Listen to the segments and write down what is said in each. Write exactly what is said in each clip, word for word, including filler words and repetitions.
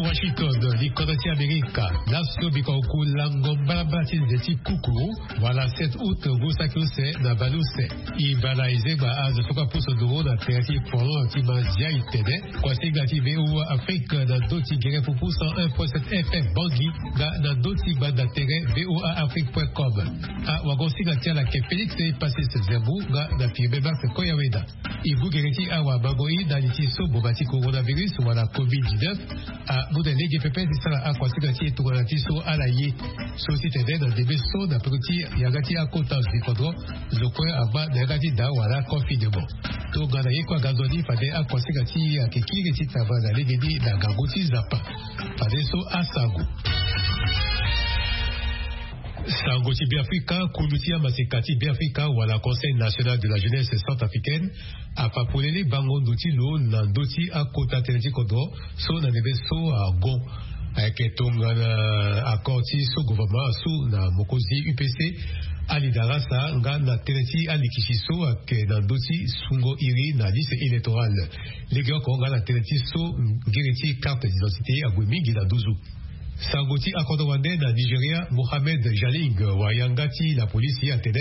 Washington, likodro ti Amerika. Laso biko oku lango mbalambala ti nze ti kuku wala sept août ngu saki use na baleuse. E baa na ezengba azo so kue apusu nduru na tere ti folon ti mazia itene. Kuasinga ti VOA Afrique na ndö ti gere pupu cent un point sept FM Bangui, nga na ndö ti gbanda tere voaafrique.com. Awagosinga ti ala ke Félix Passis Zembu nga na Firmin Max Koyaweda. E gbu gere ti awamango-i na li ti so boma ti coronavirus wala covid dix-neuf amu na lege pepe ti sara akuasinga ti e tongana ti so ala ye. So ti tene na ndembe so na peko ti yanga ti akota zi kodro, zo kue angba na yanga ti daa wala confinement. Tongana ye kue aga nzoni fade akuasinga ti e ayeke kiri ti travail na legeni na ngangu ti Nzapa. Fade so asango. Sango ti Beafrika, kundu ti amaseka ti Beafrika wala Conseil National de la Jeunesse Centrafricaine afa polele bango ndo ti lo na ndö ti akota tënë ti kodro so na ndembe so agon. Ayeke tongana accord ti so gouvernement asu na mokonzi UPC, Ali Darasa, nga na tënë ti alikisi so ayeke na ndö ti sungo iri na liste électorale. Legeoko nga na tënë ti so ngiri ti carte d'identité ague mingi na nduzu. Sango ti akodro wande na Nigeria, Mohammed Jaling wa yanga ti lapolisi atene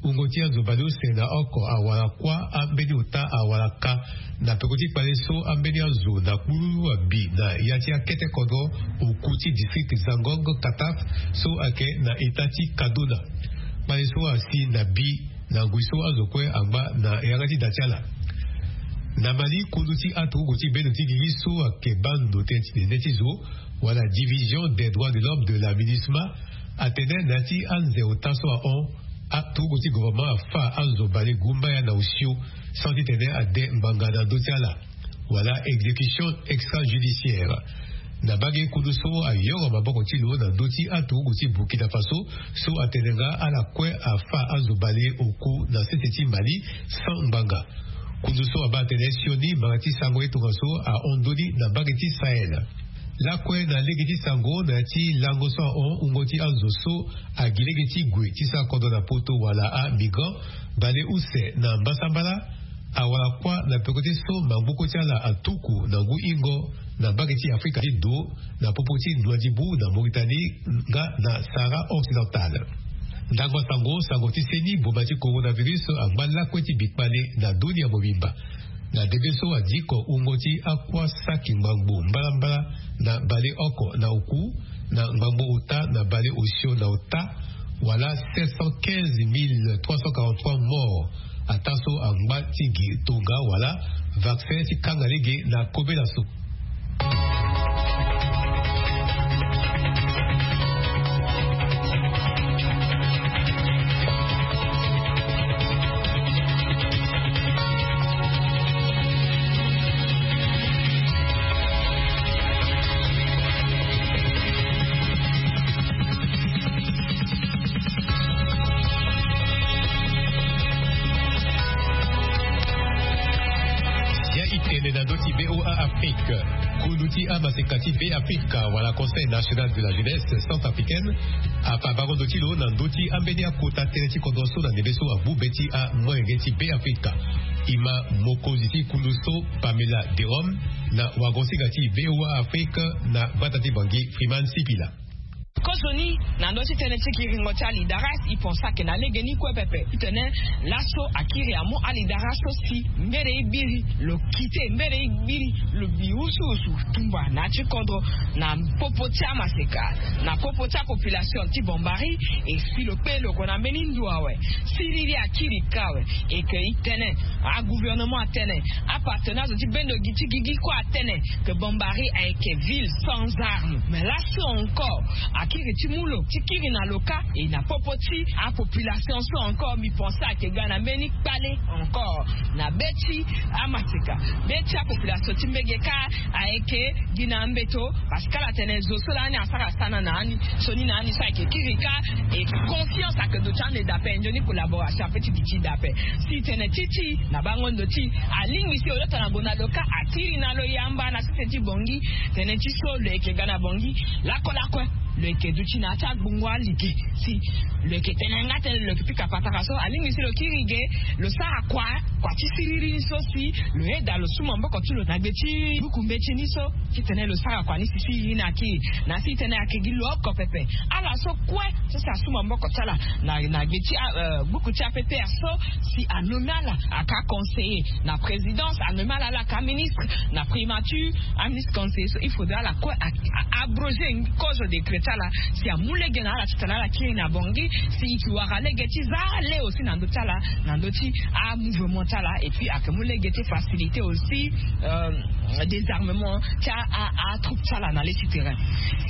wungo ti azo baleuse na oko awara kuâ ambeni ota awara ka na peko ti kpale so ambeni azo na kpululu abi na ya ti akete kodro oku ti district Zangong Kataf so ayeke na eta ti Kaduna. Kpale so asi na bi na ngui so azo kue angba na yanga ti da ti ala. Na Mali, kundu ti aturugu ti bendo ti gigi so ayeke baa ndo tënë ti nene ti zo wala Division des droits de l'homme de la MINUSMA atene na ya ti anze ota so ahon, aturugu ti gouvernement afa azo bale gumbaya na osio sans titene ade ngbanga na ndö ti ala wala exécution extrajudiciaire. Na mbage kundu so ayoro maboko ti lo na ndö ti aturugu ti Burkina Faso so atene nga ala kue afa azo bale oku na sese ti Mali sans ngbanga. Kundu so abaa atene sioni mbanga ti sango ye tongaso ahon ndoni na mbage ti Sahel. Lakue na lege ti sango na ya ti lango so ahon wungo ti azo so agi lege ti gue ti sara kodro na poto wala amigrant bale use na mbasambala awara kuâ na peko ti so maboko ti ala atuku na ngu ingo na mbage ti Afrika ti do na popo ti Nouadhibou na Mauritanie nga na Sahara occidental. Ndango sango, sango ti seni boma ti coronavirus angba lakue ti bikpale na dunia mobimba. Na ndembe so adiko wungo ti akuâ saki ngbangbo mbalambala na bale oko na oku na ngbangbo ota na bale osio na ota wala sept cent quinze mille trois cent quarante-trois morts. Ataa so angba ti gi tonga wala vaccin ti kanga lege na kobela so. Ya itene na ndö ti VOA Afrique. Kundu ti amaseka ti Be Afrika wala Conseil National de la Jeunesse Centrafricaine afa bango ndo ti lo na ndö ti ambeni akota tënë ti kodro so na ndembe so agbu be ti amolenge ti Be Afrika. E ma mokonzi ti kundu so Pamela Derome na wagosinga ti VOA Afrique na gbata ti Bangui Freeman Sipila. Kozoni na ndö ti tënë ti kiringo ti alidaras, e pense ake na legeni kue pepe titene laso akiri amu alidaras so si mbere e gbiri lo kite, mbere e gbiri lo bi usuusu tumba na ya ti kodro na popo ti amaseka, na popo ti apopulation ti Bombari. E si lo kpe lo gue na mbeni ndo awe. Siriri akiri kâ awe. E ke e tene agouvernement atene, apartenance ti bendo gi ti gigi kue atene que Bombari ayeke ville sans armes. Mais laso encore akiri ti mu lo ti kiri na lo kâ. E na popo ti apopulation so encore, mi pense ake ga na mbeni kpale encore na be ti amaseka, be ti apopulation ti mbege kâ ayeke gi na mbeto. Parce que ala tene zo so lani asara sana na ani, sioni na ani so ayeke kiri kâ. E confiance ayeke duti ande daa ape, nzoni collaboration ape ti duti daa ape. Si tene ti ti na bango ndo ti alingbi si lo lota na gonda lo kâ, akiri na lo yamba na sese ti Bangui. Tene ti so lo yeke ga na Bangui lakue lakue. Lo yeke duti na ya ti agbongo alege si lo yeke tene nga tënë lo yeke pika patara so alingbi si lo kiri ge. Lo sara kua kua ti siriri ni so si lo yeda lo su maboko ti lo na gbe ti buku mbeti ni so titene lo sara kua ni si si ye ni akiri na ya si titene ayeke gi lo oko pepe. Ala so kue so si asu maboko ti ala na gbe ti buku ti app so si anomi ala aka conseiller na présidence, anomi ala ala aka ministre na primature, aministre conseiller so il faudra ala kue abroger kozo décret ti ala si amu lege na ala titene ala kiri na bongi si e ke wara lege ti za le aussi na ndö ti ala na ndö ti amouvement ti ala et puis ayeke mu lege ti facilité aussi désarmement ti atroupe ti ala na le ti terrain.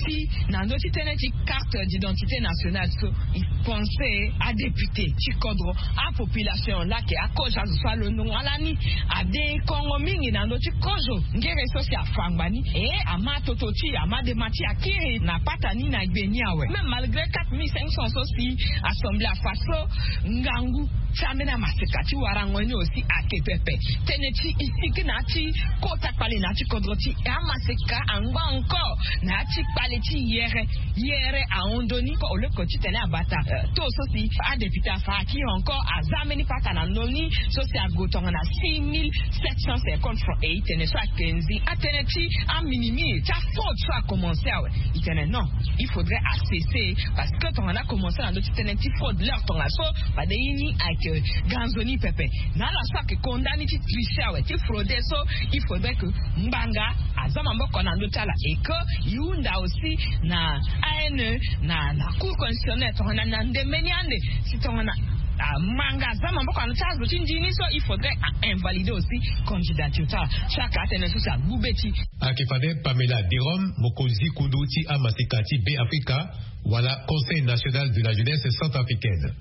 Si na ndö ti tënë ti carte d'identité nationale so e pense adéputé ti kodro, apopulation laa ayeke akozo azo so alondongo ala ni ade kongo mingi na ndö ti kozo ngere so si afa ngba ni e ama toto ti e ama dema ti e akiri na pata ni na gbe ni awe même malgré quatre mille cinq cents so si assemblée afa so ngangu ti ambeni amaseka ti warango ni aussi ayeke pepe. Tënë ti e sigi na ya ti kota kpale na ya ti kodro ti e amaseka angba encore na ya ti kpale ti yere yere ahon ndoni ko oleko titene abata to so si adéputé afa akiri encore aza mbeni pata na ndoni so si ague tongana six mille sept cent cinquante francs e e tene so ayeke nzi atënë ti aminimi ti afraude so akomanse awe. E tene non, il faudrait acesser parce que tongana akomanse na ndö ti tënë ti fraude leur tongaso fade ye ni ayeke ga nzoni pepe. Na ala so ayeke konda ni ti tricher awe ti fraude so il faudrait que ngbanga aza maboko na ndö ti ala et que e hunda aussi na ane na na cour constitutionnelle tongana na ndembe ni ande si tongana amanga aza maboko na ndö ti azo ti ndi ni so il faudrait ainvalide aussi candidature ti ala. Chaque atene so si agbu be ti ayeke fade pamela derom mokonzi kundu ti amaseka ti be afrika wala conseil national de la jeunesse centrafricaine.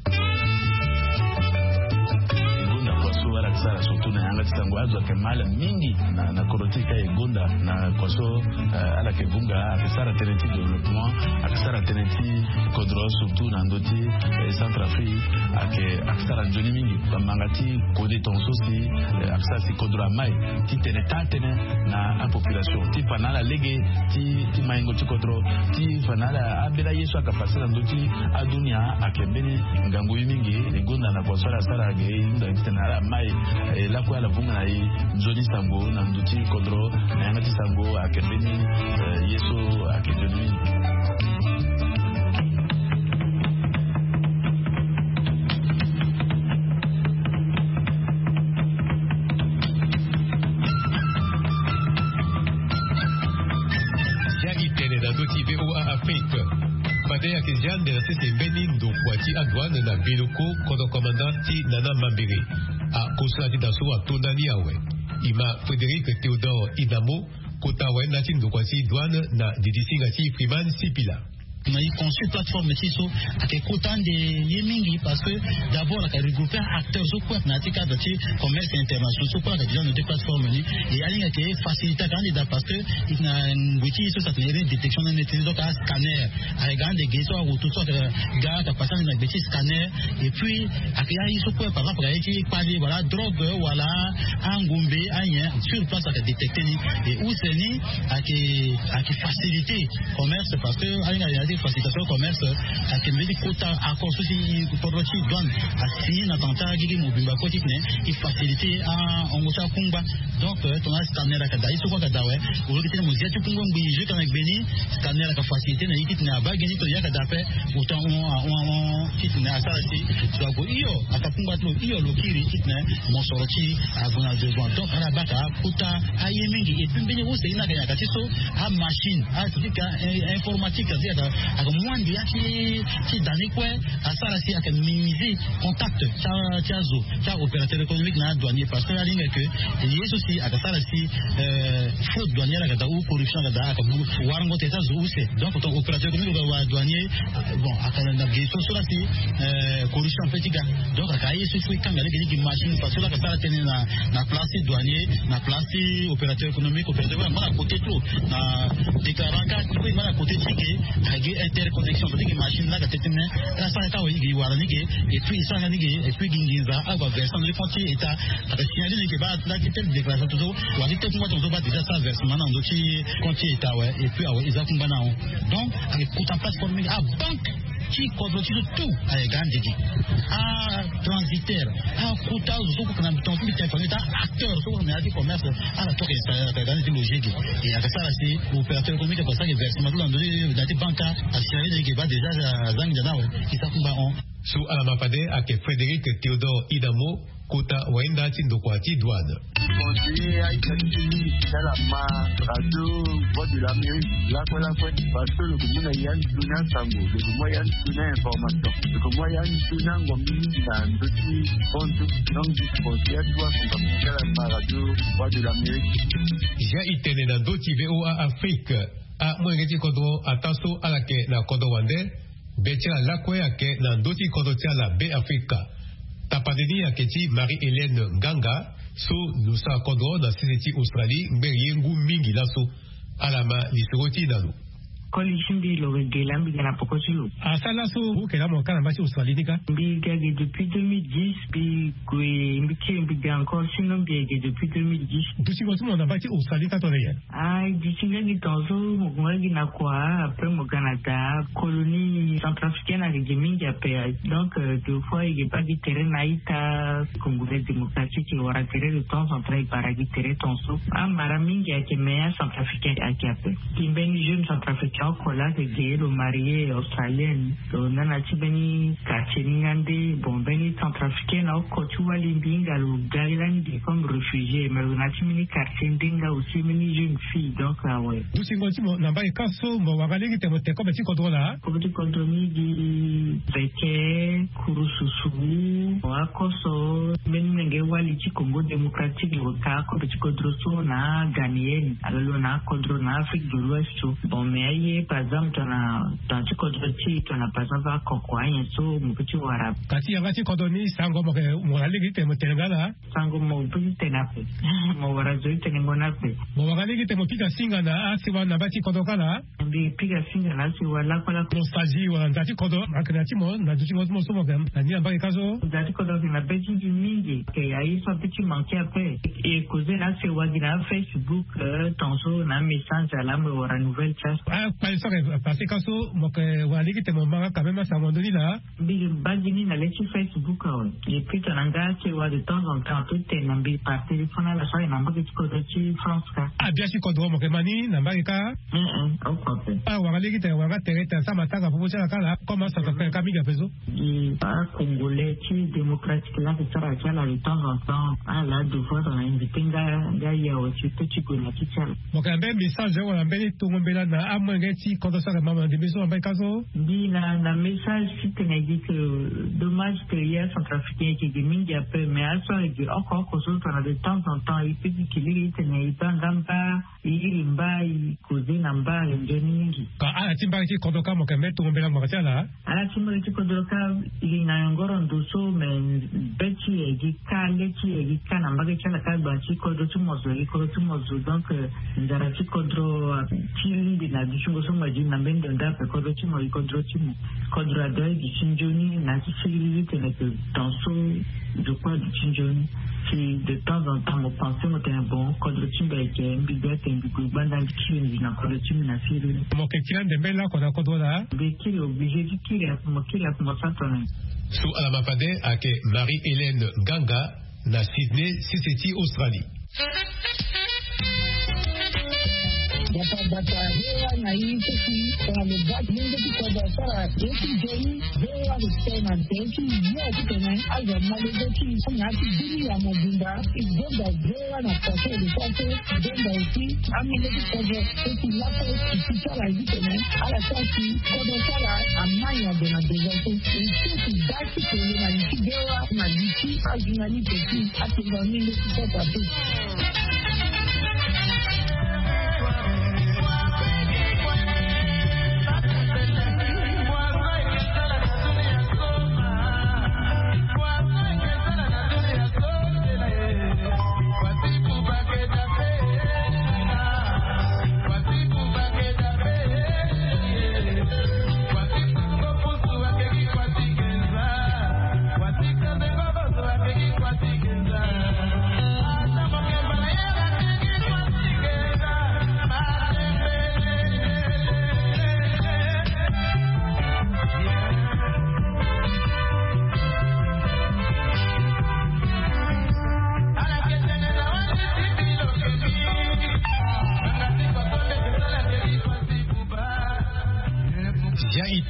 E gonda kua so ala yeke sara surtout na yanga ti sango azo ayeke mal mingi na kodro ti e ka e gonda na kua so ala yeke vunga ayeke sara tënë ti développement ayeke sara tënë ti kodro surtout na ndö ti centrafrique ayeke ayeke sara nzoni mingi bamanga ti kode tonga so si ayeke sara si kodro amai ti tene taa tënë na apopulation ti fa na ala lege ti maingo ti kodro ti fa na ala ambeni aye so ayeke pase na ndö ti adunia ayeke mbeni ngangu ye mingi. E gonda na kua so ala sara ge e hunda titene ala mai e lakue ala vunga na e nzoni sango na ndö ti kodro na yanga ti sango ayeke mbeni ye so ayeke nzoni mingi. Zia e tene na ndö ti voa afrique. Fade ayeke zia ande na sese mbeni ndokua ti adouane na biloko kodro commandant ti nana mambere. Akosala ti da so atonda ni awe. E ma frédéric théodore idamo kota awe na ti ndokua ti douane na didisinga ti freeman sipila. Na e consul plateforme ti so ayeke kota ande ye mingi parce que d'abord ayeke regrouper acteur so kue na ya ti cadre ti commerce international so kue ayeke déjà na deux plateforme ni. E alingbi ayeke facilité ayeke ande daa parce que e na ngoi ti e so si atene iri ni détection na neti ni donc ascanner ayeke ga ande ge so aroto so ayeke ga ayeke pase ande na gbe ti scanner. Et puis ayeke ya ye so kue par exemple ayeke ya ye ti kpali wala adrogue wala angombe anyen sur place ayeke détecter ni. Et use ni ayeke ayeke facilité commerce parce que alinga ya ti facilitation commerce ayeke mbeni kota accord so si kodro ti douane asigné na tanga ti agigi mobimba kue titene e facilité ahongo ti akungba. Donc tongana scanner ayeke daa ye so kue ayeke daa awe. Oloki titene mo zia ti kungba ngbii zo eke na gbe ni scanner ayeke facilité na ye titene abaa gi ni titene ye ayeke daa ape. Autant ahon ahon ahon titene asara si zo ague hio aka kungba ti lo hio lo kiri titene mosoro ti e ague na besoin donc ala baka kota aye mingi. Et puis mbeni use ni ayeke nyaka ti so amachine atika informatique ti ayeke mu ande ya ti ti da ni kue asara si ayeke minimiser contact ti azo ti aopérateur économique na adouanier parce que alingbi ayeke ye so si ayeke sara si fraude douanière ayeke daa ou corruption ayeke daa ayeke mu warango tene ti azo use. Donc ton opérateur économique wala douanier bon ayeke na ge so so la si corruption ape ti ga. Donc ayeke aye so so e kanga lege ni gi machine parce que la ayeke sara tënë na place ti douanier na place ti opérateur économique opérateur économique angba na côté ti lo na déclarant carte ti lo angba na côté ti ge. Interconnexion ndenge machine laka tete me. Ala sara ita wa igi wara ndenge. Et puis sara ndenge. Et puis gi nginza awa version ndenge compte ita. Aka signale ndenge ba la ti telle déclaration tout. Wa ti telle kuma tonzo ba déjà sara versement na ndo ti compte ita, ouais. Et puis awa eza kuma na. Donc ake kuta place pour mingi a banque ti kodro ti tout. Aye ga ndigi. Ah, transitaire. Ah, kuta zo ko kana biton ti téléphone ta acteur so na ti commerce. Ala toke sa ka ga ti logique. Et aka sara si opérateur économique ko sara versement la ndo na ti banque. Assuré de ke ba déjà zangi na we. Ki sa kumba on. So ala ma fade ake Frédéric Théodore Idamo, kota wayenda ti ndokua ti douane. Conseiller aita ti ti mingi ti ala ma radio Voix de l'Amérique lakue lakue. Parce que lo ko mu na ya ni tuna sango, lo ko mu ya ni tuna information, lo ko mu ya ni tuna ngombe mingi na ndo ti fondu. Donc conseiller ti wa fonda ti ala ma radio Voix de l'Amérique. Ja itene na ndo ti VOA Afrique. Amolenge ti kodro ataa so ala yeke na kodro wande. Be ti ala lakue ayeke na ndö ti kodro ti ala Be Afrika. Tapande ni ayeke ti Marie Hélène Nganga, so lo sara kodro na sese ti Australie ngbene ye ngu mingi laso. Ala ma lisoro ti e na lo. Koli ti mbi lo yeke ge laa mbi ga na poko ti lo. Asara laso oke laa mo ka na mba ti Australie ni kâ? Mbi ga ge depuis deux mille dix. Mbi gue mbi kiri mbi ga encore sinon mbi yeke ge depuis deux mille dix. Dutingo ti mo na mba ti Australie kâ tongana nyen? Ah, e duti nga gi tongaso mo gue nga gi na kua. Après mo ga na daa colonie centrafricaine ayeke gi mingi ape. Donc deux fois e ge baa gi tere na a-ita. Congolais démocratique e wara tere de temps en temps e bara gi tere tongaso. Amara mingi ayeke me acentrafricain ayeke ape. Gi mbeni jeune centrafricain oko laa ayeke ge lo marie australienne. Lo na na ti mbeni quartier ni nga nde bon mbeni centrafricain na oko ti wali mbi hinga lo ga lani ge comme réfugié mais lo na ti mbeni quartier nde nga aussi mbeni jeune fille donc awe. Dutingo ti mo na mbage kâ so mo wara lege tene mo tene kobe ti kodro laa? Kobe ti kodro ni gi veke kurususu. Akoso mbeni menge wali ti Congo démocratique lo ka kobe ti kodro so na ghanéenne. Ala lo na akodro na Afrique de l'Ouest so. Bon mais aye par exemple tongana tongana ti kodro ti e tongana par exemple akoko anyen so mo peut ti wara. Ka ti yanga ti kodro ni sango mo yeke mo wara lege ti tene mo tene nga laa? Sango mo peut ti tene ape. Mo wara zo ti tene ngo ni ape. Mo wara lege ti tene mo pika singa na asewa na mba ti kodro kâ laa? Mbi pika singa na asewa lakue lakue. Nostalgie wala nda ti kodro ayeke na ti mo na dutingo ti mo so mo yeke na ni na mbage kâ so? Nda ti kodro ayeke na be ti mbi mingi. Ayeke aye so ape ti manke ape. E causer na asewa gi na Facebook. Tongaso na amessage ala mo wara nouvelle ti aso. Akpale so ayeke passé kâ so mo yeke wara lege ti tene mo ma nga quand même asango ndoni laa? Mbi baa gi ni na le ti Facebook awe. Et puis tongana nga asewa de temps en temps ape ti tene na mbi par téléphone ala so ayeke na mbage ti kodro ti France kâ. Abia ti kodro mo yeke ma ni na mbage kâ? Oko ape. Awara lege ti tene wara nga tere ti tene asara matanga popo ti ala kâ laa comme acentrafricain kâ mingi ape so. Gi acongolais ti démocratique laa ayeke sara ti ala de temps en temps ala deux fois tongana invité nga nga ye awe ti peut ti gue na ti ti ala. Mo yeke na mbeni message wala mbeni tongo mbela na amolenge ti kodro so ayeke ma mo na ndembe so na mbage kâ so? Mbi na na message ti tene gi ke dommage ke ye acentrafricain e ke gi mingi ape mais aso ayeke gi oko oko so tongana de temps en temps e peut ti ke lege ti tene e baa nga mba e iri mba e causer na mba ayeke nzoni mingi. Ka ala ti mbage ti kodro kâ mo yeke mbeni tongo mbela ngbanga ti ala? Ala ti mbage ti kodro kâ e gi ngangu ngoro ndo so mais be ti e gi kâ le ti e gi kâ na mbage ti ala kâ gbanga ti kodro ti mo zo e gi kodro ti mo zo donc nzara ti kodro ti lingbi na dutingo so mo ye gi na mbeni ndo nda ape kodro ti mo e gi kodro ti mo. Kodro adoit e gi ti nzoni na ti siriri ti tene ke temps so. Zo kue aduti nzoni. Si de temps en temps mo pensé mo tene bon kodro ti mbi ayeke mbi doit tene mbi gue gbanda mbi kiri mbi na kodro ti mbi na siriri. Mo yeke ti la ndembe lakue na kodro laa? Mbi kiri obligé ti kiri ape mo kiri ape mo sara tongana nyen? So ala ma fade ayeke Marie Hélène Nganga na Sydney sese ti Australie. Bata bata V O A na i ti si tongana lo baa ti lenge ti kodro asara ye ti nzoni. V O A respect na nzoni ti yo ti tene azo ma lenge ti i so na ya ti bini ya mobimba. I gonda V O A na façon de façon i gonda aussi. Amenge ti kodro so ti lakue i ti sara ye ti tene ala sara si kodro ti ala ama nyango na devant so. I so ti baa ti tene na li ti V O A na li ti ajournaliste ti atonga mingi ti kota ti.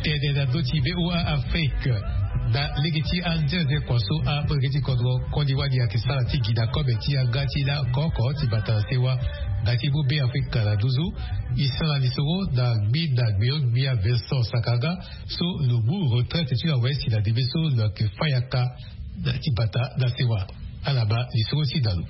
Tene na ndö ti VOA Afrique. Na lege ti anzenze kua so amolenge ti kodro koli wali ayeke sara ti gi na kobe ti yanga ti la oko oko ti bata na sewa nga ti mu be Afrika na nduzu. E sara lisoro na gbi na gbio-gbia Vincent Sakanga so lo mu retraite ti lo awe si na ndembe so lo yeke fa yaka na ti bata na sewa. Ala baa lisoro ti na lo.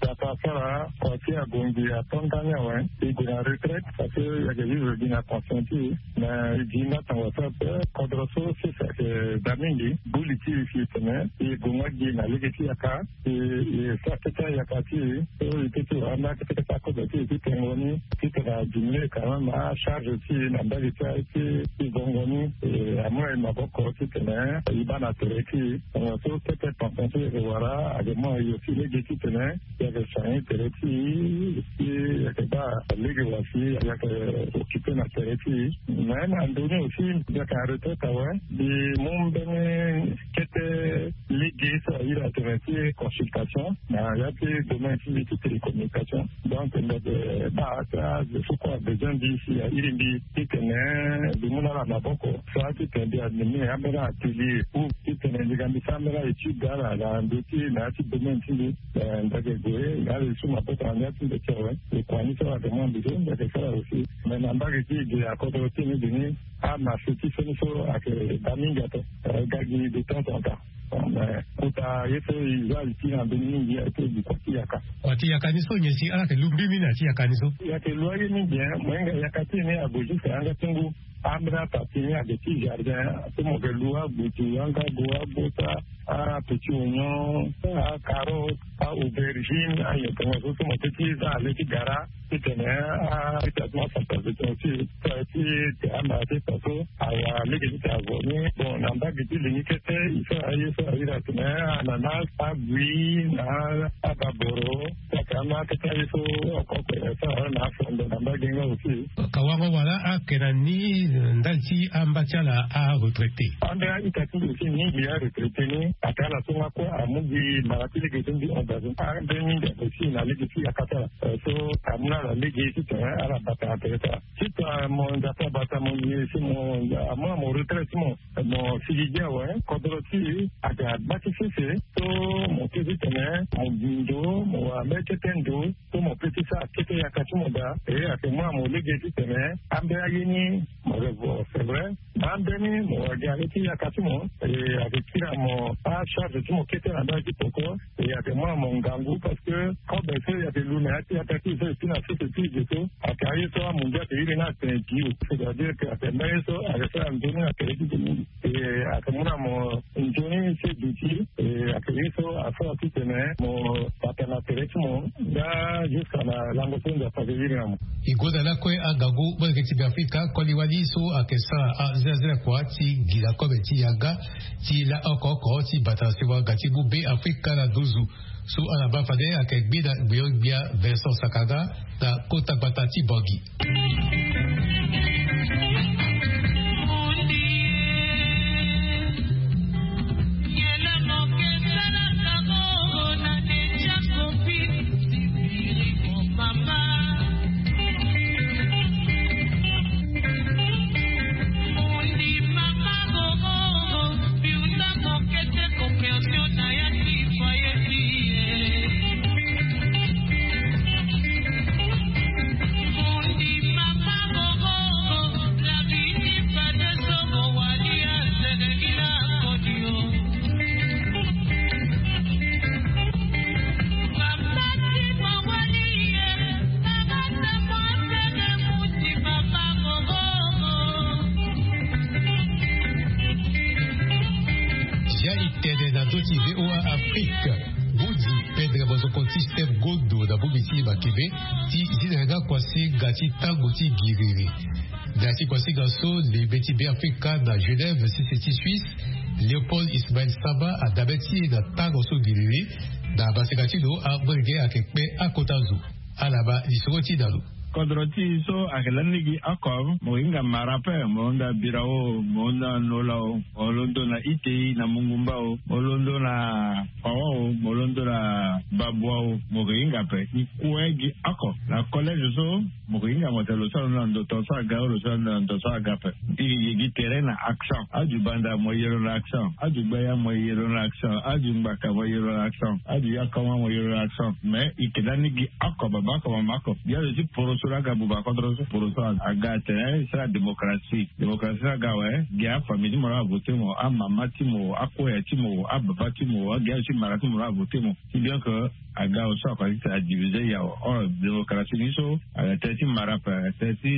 Tata asara kua ti agongi ato ndani awe. E gue na retraite parce que e yeke vivre gi na conscient ti e. Mais e gi nga sango asara ape. Kodro so sese ayeke daa mingi. Gbu li ti e si e tene e gue nga gi na lege ti yaka. E e sara kete ayaka ti e so e peut ti wara ambeni akete kete akobe ti e ti tengo ni. Titene adiminuer quand même acharge ti e na mbage ti aye ti ti vongo ni. E amu na e maboko titene e baa na tere ti e. Tongana so kete tension so e yeke wara ayeke mu na e aussi lege titene e yeke soigner tere ti e. Si e yeke baa lege wa si e yeke occuper na tere ti e. Mais na ndö ni aussi mbi yeke na retraite awe. Mbi mu mbeni kete lege so ahiri atene ti consultation na ya ti domaine ti mbi ti télécommunication. Donc mbi yeke baa ata zo so kue abezoin mbi si ahiri mbi titene mbi mu na ala maboko. Sara titene mbi animer ambeni atelier ou titene mbi ga mbi sara ambeni aétude ala na ndö ti na ya ti domaine ti mbi. Eh, mbi yeke gue na ala li so maboko na ya ti mbi ti awe. Lo kua ni so ala yeke mu na mbi so mbi yeke sara aussi. Mais na mbage ti e ge akodro ti e ni ge ni amarché ti so ni so ayeke daa mingi ape. Eh, e ga gi de temps en temps. Mais kota ye so e za li ti na mbeni mingi aye ti e gi kua ti yaka. Kua ti yaka ni so nyen si ala yeke lu mbimbi na ya ti yaka ni so? E yeke lu aye mingi, hein. Mo hinga yaka ti e ni ague jusque na yanga ti ngu. Ambeni ataa ti e ni ague ti jardin so mo yeke lu agutu, angago, agota, apetit oignon, acarotte, aaubergine, ayen tongaso so mo peut ti za na le ti gara. Titene a ti atima santas de ton ti ti ti ti ama ti ton so awa lege ti ti azo ni. Bon, na mbage ti lingi kete e sara aye so ahiri atene ananas, abui na ababoro. Saka ama kete aye so oko oko e sara na afondo na mbage nga aussi. Ka wango wala ayeke na ni ndali ti amba ti ala aretraité? Ande a-ita ti mbi aussi mingi aretraité ni. Ayeke ala so nga kue amu gi mara ti lege ti mbi engagé ande mingi aussi na lege ti yaka ti ala. Eh, so amu na ala lege titene ala bata na tere ti ala. Titene mo Nzapa abata mo ye si mo amu na mo retraite ti mo, mo sigi gi awe. Kodro ti e ayeke agba ti sese so mo peut titene mo gi ndo, mo wara mbeni kete ndo so mo peut ti sara kete yaka ti mo daa. E ayeke mu na mo lege titene ambeni aye ni mo revo, c'est vrai. Ambeni mo wara gi na le ti yaka ti mo. E ayeke kiri na mo acharge ti mo kete na ndali ti poko. E ayeke mu na mo ngangu parce que kobe so e yeke lu na ya ti yaka ti e so e si na sese ti e ge so ayeke aye so amondia ayeke iri ni atene bio, c'est-à-dire que ayeke mbeni aye so ayeke sara nzoni na tere ti ge mingi. E ayeke mu na mo nzoni ti duti. E ayeke ye so asara titene mo bata na tere ti mo nga jusqu'à na lango so Nzapa ayeke iri na mo. E goda lakue angangu molenge ti Beafrika koli wali so ayeke sara azelazela kua ti gi na kobe ti yanga ti la oko oko ti bata na sewa nga ti mu Beafrika na nduzu. So ala baa fade ayeke gbi na gbio-gbia Vincent Sakanga na kota gbata ti Bangui. Zia e tene na ndö ti VOA Afrique. Bodi pendre mozoko ti Steve Gondo na bongbi ti makembe ti zi na yanga kuasinga ti tango ti giriri. Na ya ti kuasinga so lembe ti Beafrika na Genève, sese ti Suisse, Léopold Ismaël Samba adabe ti e na tango so giriri. Na maseka ti lo amolenge ayeke kpe akota zo. Ala baa lisoro ti na lo. Kodro ti so ayeke lani gi oko, mo hinga mara ape, mo londo na birao, mo londo na nola o, mo londo na itei na mungumba o, mo londo na pawa o, mo londo na babua o, mo ke hinga ape. I kue gi oko na collège so, mo ke hinga mo tene lo so alondo na ndo tongaso aga o, lo so alondo na ndo tongaso aga ape. I ke gi tere na accent. Aju banda mo yero na accent, aju gbaya mo yero na accent, aju ngbaka mo yero na accent, aju yakoma mo yero na accent. Mais i ke lani gi oko, baba oko, mama oko. Gi azo ti poroso laa aga buba kodro so, poroso aga atene sara démocratie. Démocratie laa aga awe, gi afamille ti mo laa avote mo, amama ti mo, akoya ti mo, ababa ti mo, agi azo ti mara ti mo laa avote mo. Si bien que aga awe so ako ati tene adivise ya awe. Or démocratie ni so aga tene ti mara ape, aga tene ti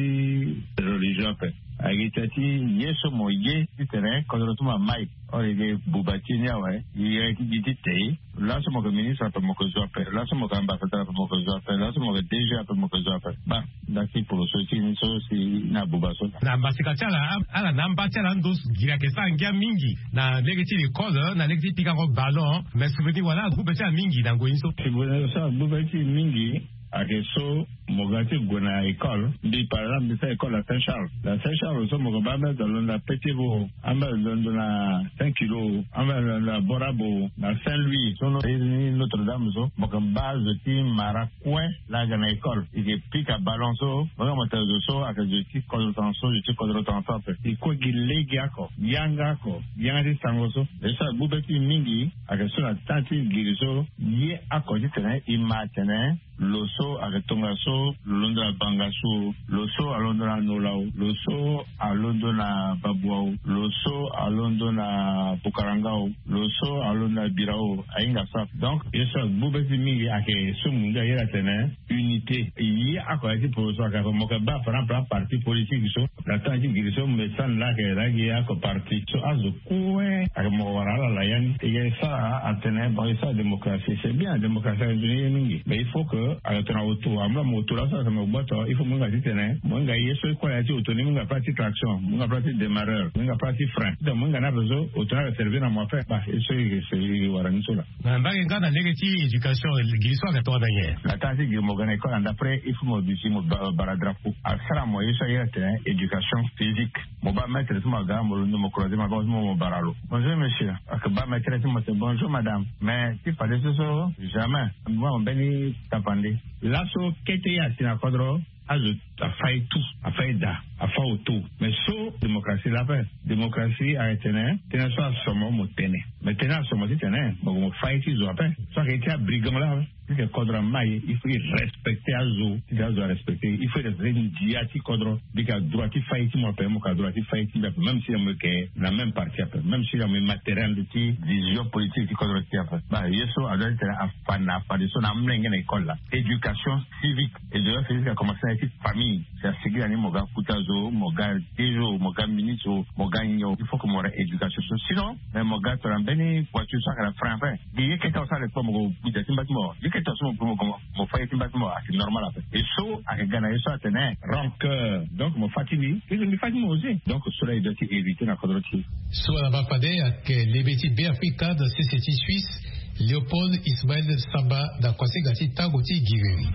religion ape, aga tene ti ye so mo ye ti tene kodro ti mo amai. Or i ke buba ti e ni awe, i ye ti gi ti tei. Laso mo ke ministre ape mo ke zo ape, laso mo ke ambassadeur ape mo ke zo ape, laso mo ke D G ape mo ke zo ape. Ba, nda ti poroso ti ni so si na buba so. Na mbasika ti ala, ala na amba ti ala ando giri ayeke sara ngia mingi na lege ti l'école, na lege ti pikango ballon. Mais souvenir wala agbu be ti ala mingi na ngoi ni so. Souvenir so agbu be ti e mingi ayeke so mo ga ti gue na école. Mbi par exemple mbi sara école na Saint Charles. Na Saint Charles so mo ke baa ambeni zo alondo na Petit Bo, ambeni zo alondo na Saint Kilo, ambeni zo alondo na Borabo, na Saint Louis so, ni Notre Dame so, mo ke baa zo ti mara kue laa aga na école. I ke pika ballon so, mo hinga mo tene zo so ayeke zo ti kodro tongaso, zo ti kodro tongaso ape. I kue gi lege oko, yanga oko, yanga ti sango so. Ye so agbu be ti e mingi ayeke so na temps ti giri so, ye oko ti tene i ma atene lo so ayeke tongaso lo londo na Bangassou, lo so alondo na Nola o, lo so alondo na Babua o, lo so alondo na Bukaranga o, lo so alondo na Birao, ahinga so ape. Donc ye so agbu be ti e mingi ayeke so mo ngia ayeda atene unité. Ye oko ya ti poroso ayeke ape, mo ke baa par exemple aparti politique so, na temps ti giri so mbi sani laa ayeke laa gi oko parti so azo kue ayeke mo wara ala la ya ni. E ke sara atene bon e sara démocratie, c'est bien, démocratie ayeke nzoni ye mingi, mais il faut que ayeke tongana auto, amu laa mo auto laso ayeke mo gboto, il faut mo hinga ti tene mo hinga ye so e kue na ya ti auto ni, mo hinga place ti traction, mo hinga place ti démarreur, mo hinga place ti frein, donc mo hinga ni ape so auto ni ayeke servir na mo ape. Ba ye so e ke wara ni so laa. Na mbage nga na lege ti éducation, giri so ayeke tongana nyen? Na temps ti giri mo ga na école, na d'après il faut mo duti mo ba- bara drapeau. Asara mo ye so aye atene éducation physique. Mo baa maître ti mo aga, mo londo mo croiser maboko ti mo, mo bara lo. Bonjour monsieur. Ayeke baa maître ti mo atene bonjour madame. Mais ti fadeso so jamais. Mo baa mo mbeni tapande. Laso kete ye asi na kodro, azo afa ye tout, afa ye daa, afa auto. Mais so démocratie laa ape. Démocratie ayeke tene tënë so aso mo, mo tene. Mais tënë aso mo ti tene mo gue mo fa ye ti zo ape. So ayeke ye ti abrigand laa ape. Puisque kodro amai, il faut e respecter azo. Titene azo arespecter, il faut e respecter ndia ti kodro. Mbi yeke na droit ti fa ye ti mo ape, mo yeke na droit ti fa ye ti mbi ape, même si na mo yeke na même parti ape, même si na mo yeke matériel ti vision politique ti kodro ti e ape. Ba ye so adoit ti tene afa na afadeso na amolenge na école laa. Éducation civique. Éducation civique akomanse na ya ti famille. Si asigi na ni mo ga kota zo, mo ga D G o, mo ga ministre o, mo ga nyen o, il faut que mo wara éducation so. Sinon, mais mo ga tongana mbeni voiture so ayeke na frein ape. Gi ye kete awe so alekpa mo gue mo gbu da ti mba ti mo. Ye kete awe so mo gue mo gue mo fa ye ti mba ti mo, ayeke normal ape. E so ayeke ga na ye so atene rancœur. Donc mo fa ti mbi, mbi fa ti mo aussi. Donc so laa e doit ti éviter na kodro ti e. So ala baa fade ayeke lebe ti Beafrika na sese ti Suisse, Léopold Ismaël Samba na kuasinga ti tango ti giriri.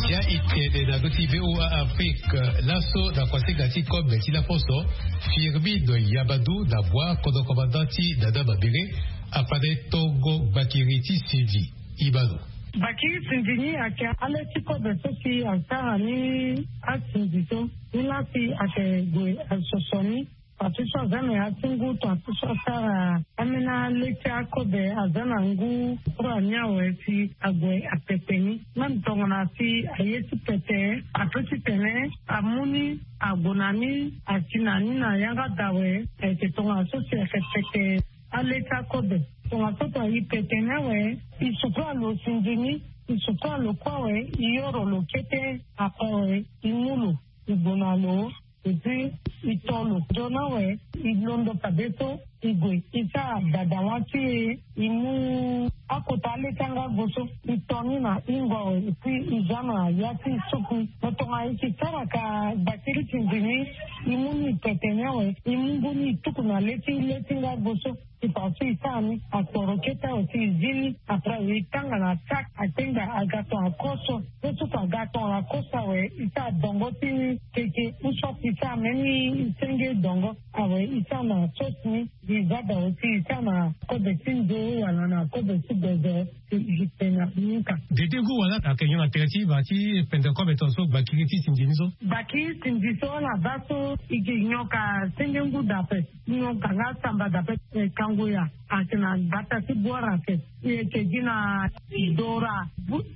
Ya e tene na ndö ti V O A Afrique, laso na kuasinga ti kobe ti laposo, Firmino Yabadou na bua kodro commandant ti Dada Mabere, afande tongo bakiri ti Sindi. Ibano. Bakiri Sindi ni ayeke ale ti kobe so si asara ni asinzi so. Ni laa si ayeke gue asoso ni. Parti so aza na ya ti ngu, parti so asara ambeni ale ti akobe aza na ngu kura ni awe si ague apete ni. Même tongana si aye ti pete, ape ti tene amu ni ague na ni asi na ni na yanga da awe. Ayeke tongana so si ayeke pete ale ti akobe. Tongaso tonga e pete ni awe, e suku alo sinzi ni, e suku alo kue awe, e yoro lo kete, ape awe e mu lo, e gue na lo. Et puis e to lo nzoni awe. E londo fadeso e gue e sara dada wa ti e. E mu akota aleti yanga go so e to ni na hingo awe si e za na ya ti e suku. Mo tonga e si sara ka gbakiri ti nzini. E mu ni tete ni awe e mu ngu ni e tuku na leti leti nga go so. Ti fa so e sara ni akporo kete awe si e zi ni. Après e tanga na sak atenga aga tongana koso. Ye so fa aga tongana koso awe e sara dongo ti ni keke. Ou soit e sara même senge dongo awe e sara na sos ni. E za da aussi e sara na kobe ti nzo wala na kobe ti gozo. Ti e pena ni ka. Dede ngu wala ayeke nyon na tere ti e ba ti pende kobe tongaso gbakiri ti sindi ni so. Gbakiri sindi so ala baa so e ke nyon ka senge ngu dape. Nyon ka nga samba dape. Kango ya ayeke na gbata ti bwara ape. E yeke gi na dora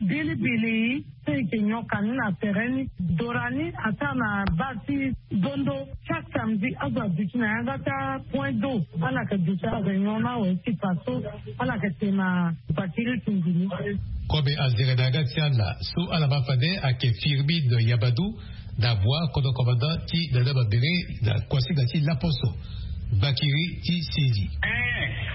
bilibili. So e yeke nyon ka ni na tere ni. Dora ni asara na base ti dondo. Chaque samedi azo aduti na yanga ti apoint d'eau. Ala yeke duti aréunion ni awe ti fa so ala yeke te na gbakiri ti nzini. Kobe azere na yanga ti ala so ala ma fade ayeke firmine yabadu. Na bua kodro komanda ti nana mabere na kuasinga ti laposo. Gbakiri ti sezi.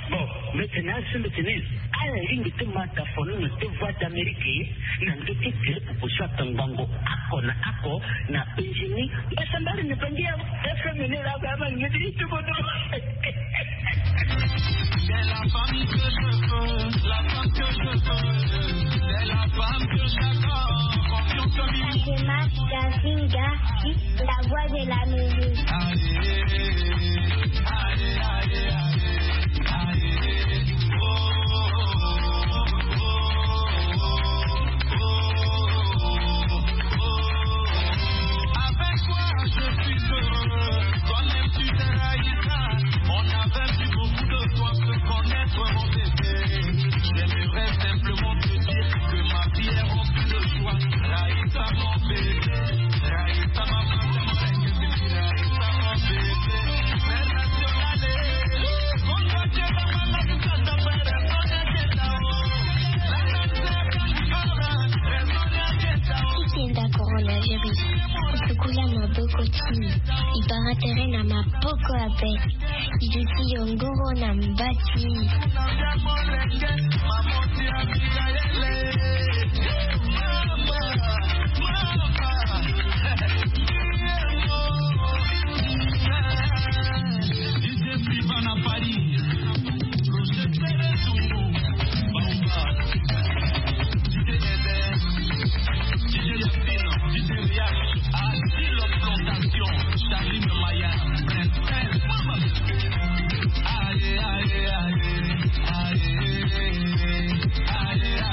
Bon, mete na asi mete ni. Ala lingbi ti ma ta fono na te voie d'amérique na ndö ti gere popo so ata ngbongo ako na ako na benzini. Mbasambari na bangi ya fm ni la ba ma ngeti ti tubodo. C'est la femme que je veux, la femme que je veux. C'est la femme que j'adore. Confiance en lui. Fatima Gazinga, la voix de la musique. Avec toi je suis heureux. Toi-même tu sais, Raïssa, on a vaincu beaucoup de toi, se connaître, mon bébé. J'aimerais simplement te dire que ma vie est remplie de joie. Raïssa, mon bébé. Raïssa, ma femme, Raïssa, mon bébé. Ti kenda coronavirus. Otukula maboko ti e. E bara tere na maboko ape. E duti yongoro na mba ti e.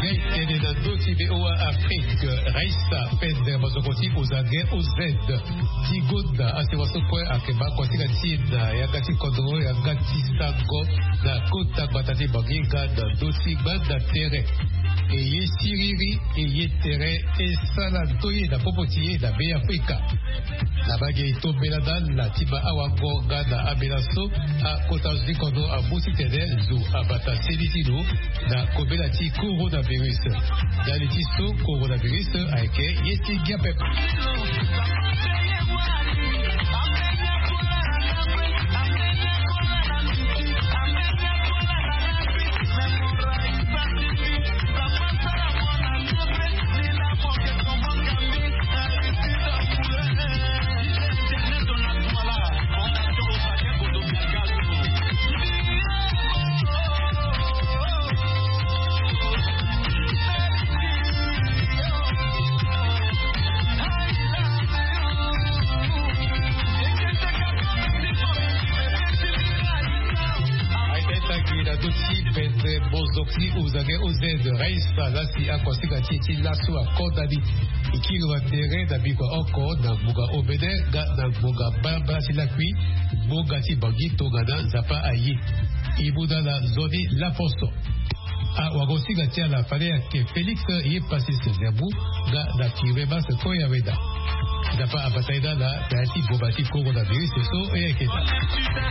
Ngai tene na ndö ti V O A Afrique, Raissa Pender, mazoko ti Ozange O Z. Ti gonda asewa so kue ayeke baa kuasinga ti e na yanga ti kodro, yanga ti sango na kota gbata ti Bangi nga na ndö ti gbanda tere. E ye siriri, e ye tere, e sara ndoye na popo ti e na Beafrika. Na mbage e to mbela na ala ti ma awango nga na ambela so akota zo ti kodro amu titene zo abata seni ti lo na kobela ti coronavirus. Ndali ti so coronavirus ayeke ye ti ngia pepe. Aita e tangi na ndö ti bende mbozo ti Ozange O Z, Raissa lasi akuasinga ti e ti laso akodani. E kiri na tere na bikua oko na ngbonga omene nga na ngbonga mbalambala ti lakui. Ngbonga ti Bangi tongana Nzapa aye. E mu na ala nzoni laposo. Awagosinga ti ala fade ayeke Félix Yepassis Zerbo nga na Firmin Mas Koyaweda. Nzapa abata ye na ala na ya ti boma ti coronavirus so e yeke daa.